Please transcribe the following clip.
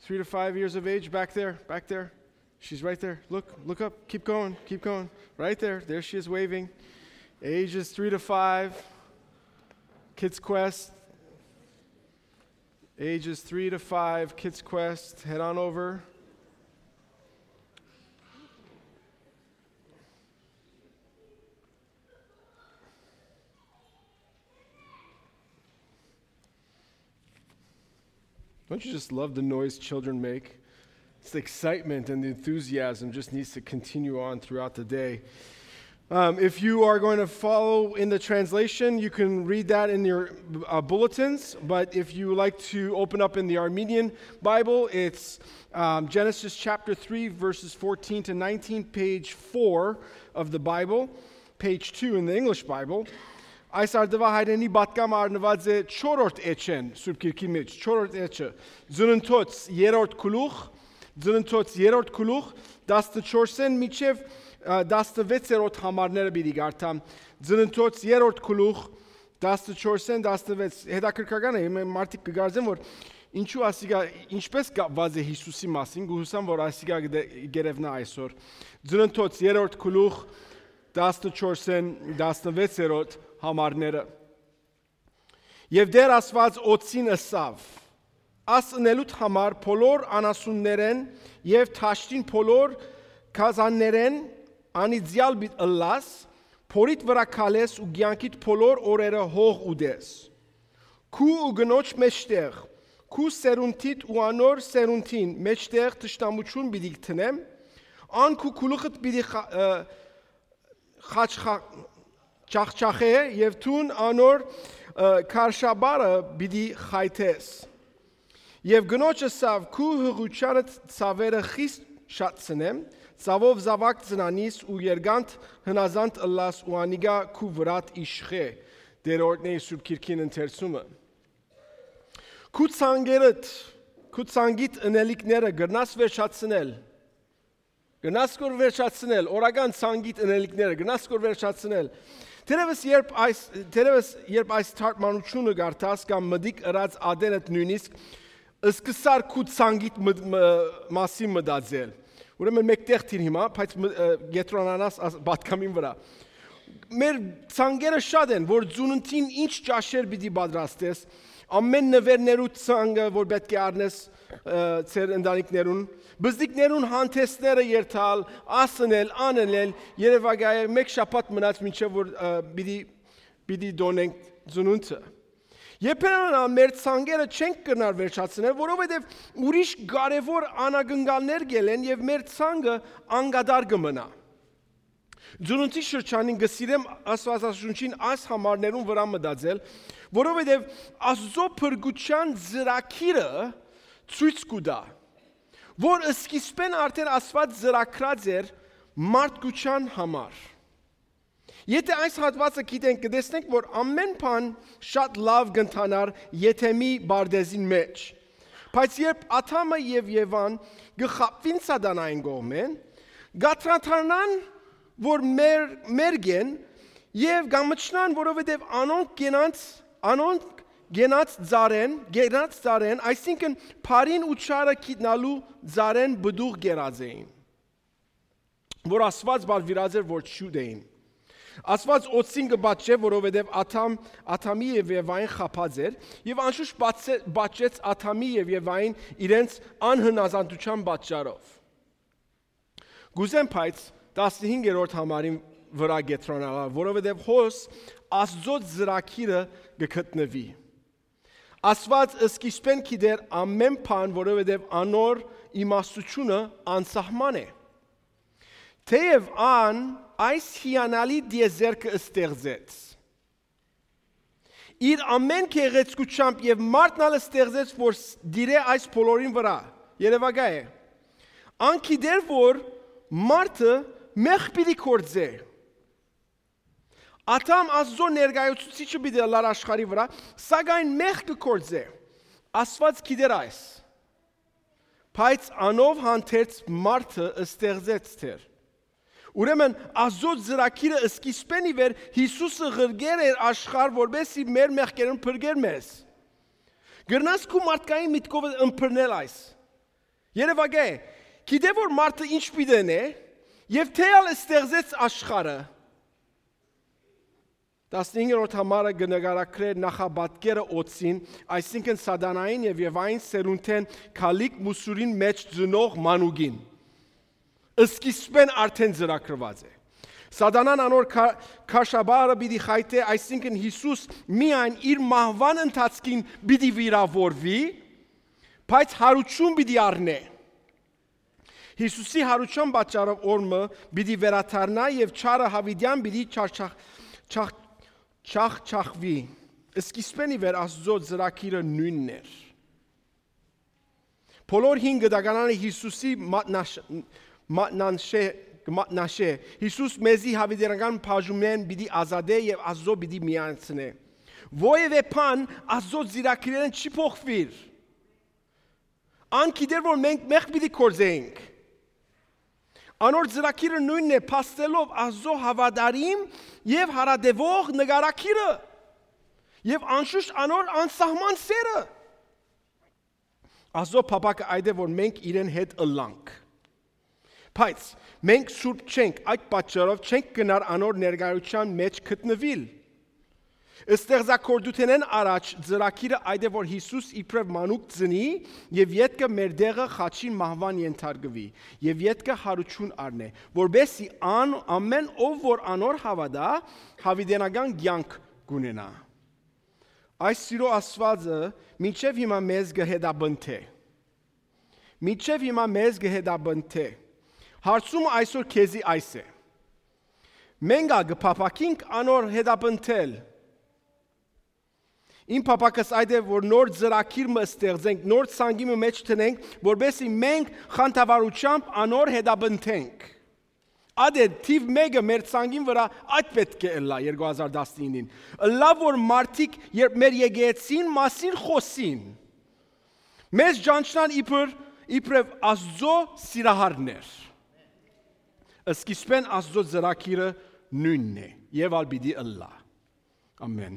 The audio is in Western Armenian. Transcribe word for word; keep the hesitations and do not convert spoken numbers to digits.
Three to five years of age, back there, back there. She's right there. Look, look up. Keep going, keep going. Right there. There she is waving. Ages three to five. Kids Quest. Ages three to five, Kids Quest. Head on over. Don't you just love the noise children make? It's the excitement and the enthusiasm just needs to continue on throughout the day. Um, if you are going to follow in the translation, you can read that in your uh, bulletins. But if you would like to open up in the Armenian Bible, it's um, Genesis chapter three, verses fourteen to nineteen, page four of the Bible, page two in the English Bible. Այս արդուայ հայրենի պատկամ առնուած է չորրորդ էջեն, Սուրբ Գիրքի մեջ, չորրորդ էջը, Ծննդոց երրորդ գլուխ, Ծննդոց երրորդ գլուխ, տասնչորսէն մինչեւ, ը, տասնվեցերորդ համարները պիտի կարդամ։ Ծննդոց երրորդ գլուխ, տասնչորսէն տասնվեց։ Հետաքրքրական է, հիմա մարդիկ կը կարծեն, որ ինչու ասիկա, ինչպես կապված է Յիսուսի մասին, կ'ուսամ, որ ասիկա կը դե-, կ'երեւնայ այսօր։ Ծննդոց երրորդ գլուխ, տասնչորսէն տասնվեցերորդ համարները։ Եւ Տէր Աստուած օծին ըսաւ. «Աս ընելուդ համար բոլոր անասուններէն եւ դաշտին բոլոր գազաններէն անիծեալ պիտի ըլլաս, փորիդ վրայ քալես ու կեանքիդ բոլոր օրերը հող ուտես։ Քու ու կնոջ մէջտեղ, քու սերունդիդ ու անոր սերունդին մէջտեղ թշնամութիւն պիտի դնեմ, ան քու գլուխդ պիտի խա-, ը, խաչխա-, չախչախէ եւ դուն անոր, ը, քարշապարը պիտի խայթես»։ Եւ կնոջ ըսաւ. «Քու յղութեանդ ցաւերը խիստ շատցնեմ, ցաւով զաւակ ծնանիս ու երկանդ հնազանդ ըլլաս ու անիկա քու վրադ իշխէ», Տէր օրհնէ Սուրբ Գիրքին ընթերցումը։ Քու ցանկերդ, քու ցանկիդ ընելիքները կրնաս վերջացնել, կրնաս կոր վերջացնել, օրական ցանկիդ ընելիքները, կրնաս կոր վերջացնել։ Թերևս երբ այս, թերևս երբ այս թարգմանութիւնը կարդաս կամ մտիկ ըրած ատենդ նոյնիսկ, սկսար քու ցանկիդ մտ-, մը-, մասին մտածել։ Ուրեմն մէկտեղ թին հիմա, բայց մը-, ը, կետրոնանաս աս-, պատկամին վրայ։ Մեր ցանկերը շատ են, որ ծնունդին ինչ ճաշեր պիտի պատրաստես, ամէն նուէրներու ցանկը, որ պէտք է առնես, ը, ձեր ընտանիքներուն, բզդիկներուն հանդէսները երթալ, ասնել, անըլել, երևակայել, մէկ շաբաթ մնաց մինչեւ որ, ը, պիտի, պիտի տոնենք ծնունդը։ Երբեմն ալ մեր ցանկերը չենք կրնար վերջացնել, որովհետեւ ուրիշ կարեւոր անակնկալներ կ'ելեն եւ մեր ցանկը անկատար կը մնայ։ Ծնունդի շրջանին կը սիրեմ Աստուածաշունչին այս համարներուն վրայ մտածել, որովհետեւ Աստուծոյ փրկութեան ծրագիրը ցոյց կու տայ, որ սկիզբէն արդէն Աստուած ծրագրած էր մարդկութեան համար։ Եթէ այս հատուածը գիտենք, կը տեսնենք, որ ամէն բան շատ լաւ կ'ընթանար Եդեմի պարտէզին մէջ։ Բայց երբ Ադամը եւ Եվան կը խաբուին Սատանային կողմէն, կ'անդրադառնան, որ մեր, մերկ են եւ կամչնան, որովհետեւ անոնք կենաց, անոնք կենաց ծառեն, կենաց ծառեն, այսինքն բարին ու չարը գիտնալու ծառեն պտուղ կերած էին, որ Աստուած բալվիրած էր, որ չուտէին։ Աստուած օծին կը պատժէ, որովհետեւ Ադամ, Ադամի եւ Եվային խաբած էր, եւ անշուշտ պատժե-, պատժեց Ադամի եւ Եվային իրենց անհնազանդութեան պատճառով։ Կ'ուզեմ, բայց, տասնհինգերորդ համարին վրայ կեդրոնանալ, որովհետեւ հոս Աստուծոյ ծրագիրը կը գտնուի։ Աստուած սկիզբէն գիտեր ամէն բան, որովհետեւ անոր իմաստութիւնը անսահման է։ Թէեւ ան այս հիանալի տիեզերքը ստեղծեց իր ամէն գեղեցկութեամբ եւ մարդն ալ ստեղծեց, որ ս-, տիրէ այս բոլորին վրայ։ Երևակայ է։ Ան գիտեր, որ մարդը մեղք պիտի գործէ։ Ադամ Աստուծոյ ներկայացուցիչը պիտի ըլլար աշխարհի վրայ, սակայն մեղք կը գործէ։ Աստուած գիտեր այս։ Բայց անով հանդերձ մարդը ստեղծեց Տէր։ Ուրեմն Աստուծոյ ծրագիրը սկիզբէն ի վեր Յիսուսը ղրկեր էր աշխարհ, որպեսզի մեր մեղքերուն փրկեր մեզ։ Կրնաս քու մարդկային միտքով ըմբռնել այս։ Երեւակայ, գիտէ որ մարդը ինչ պիտի ընէ, եւ թէ ալ ստեղծեց աշխարհը։ Տասնհինգերորդ համարը կը նկարագրէ նախապատկերը օծին, այսինքն Սատանային եւ Եվային սերունդէն քալիք մուսուրին մէջ ծնող մանուկին։ Սկիզբէն արդէն ծրագրուած է։ Սատանան անոր քա-, քաշաբարը պիտի խայտէ, այսինքն Յիսուս միայն իր մահուան ընթացքին պիտի վիրաւորուի, բայց յարութիւն պիտի առնէ։ Յիսուսի յարութեան պատճառով օրը պիտի վերադառնայ եւ չարը յաւիտեան պիտի չարչախ-, չախ-, չախչախուի։ Սկիզբէն ի վեր Աստուծոյ ծրագիրը նոյնն էր։ Բոլոր հին գտականանը Յիսուսի մատնաշ-, մատնանշէ, մատնաշէ։ Յիսուս մեզի յաւիտենական բաժումներէն պիտի ազատէ եւ Աստուծոյ պիտի միացնէ։ Որեւէ բան Աստուծոյ ծրագիրներէն չի փոխուիր։ Ան գիտեր որ մենք մեղք պիտի գործենք։ Անոր ծրագիրը նոյնն է, փաստելով Աստուծոյ հաւատարիմ եւ յարատեւող նկարագիրը եւ անշուշտ անոր անսահման սերը։ Աստուծոյ փափաքը այդ է որ մենք իրեն հետ ըլլանք։ Բայց մենք սուրբ չենք, այդ պատճառով չենք գնար անոր ներկայութեան մէջ գտնուիլ։ Ստեղծագործութենէն առաջ ծրագիրը այդ է որ Յիսուս իբրեւ մանուկ ծնի եւ ետքը մեր դեղը խաչին մահուան ենթարկուի եւ ետքը յարութիւն առնէ, որպեսզի ան ամէն ով որ անոր հաւատայ, յաւիտենական կեանք կունենայ։ Այս սիրո Աստուածը մինչեւ հիմա մեզ կը հետապնդէ։ Մինչեւ հիմա մեզ կը հետապնդէ։ Հարցումը այսօր քեզի այս է. մենք ա կը փափաքինք անոր հետապնդել։ Իմ փափաքս այդ է որ նոր ծրագիր մը ստեղծենք, նոր ցանկի մը մէջ դնենք, որպեսզի մենք խանդավառությամբ անոր հետապնդենք։ Այդ է թիվ մեկը մեր ցանկին վրայ, այդ պէտք է ըլլայ երկու հազար տասնինին։ Ըլլայ որ մարդիկ երբ մեր եկեղեցին մասին խօսին, մեզ ճանչնան իբր, իբրեւ Աստուծոյ սիրահարներ։ Սկիզբէն Աստուծոյ ծրագիրը նոյնն է եւ ալ պիտի ըլլայ։ Ամեն։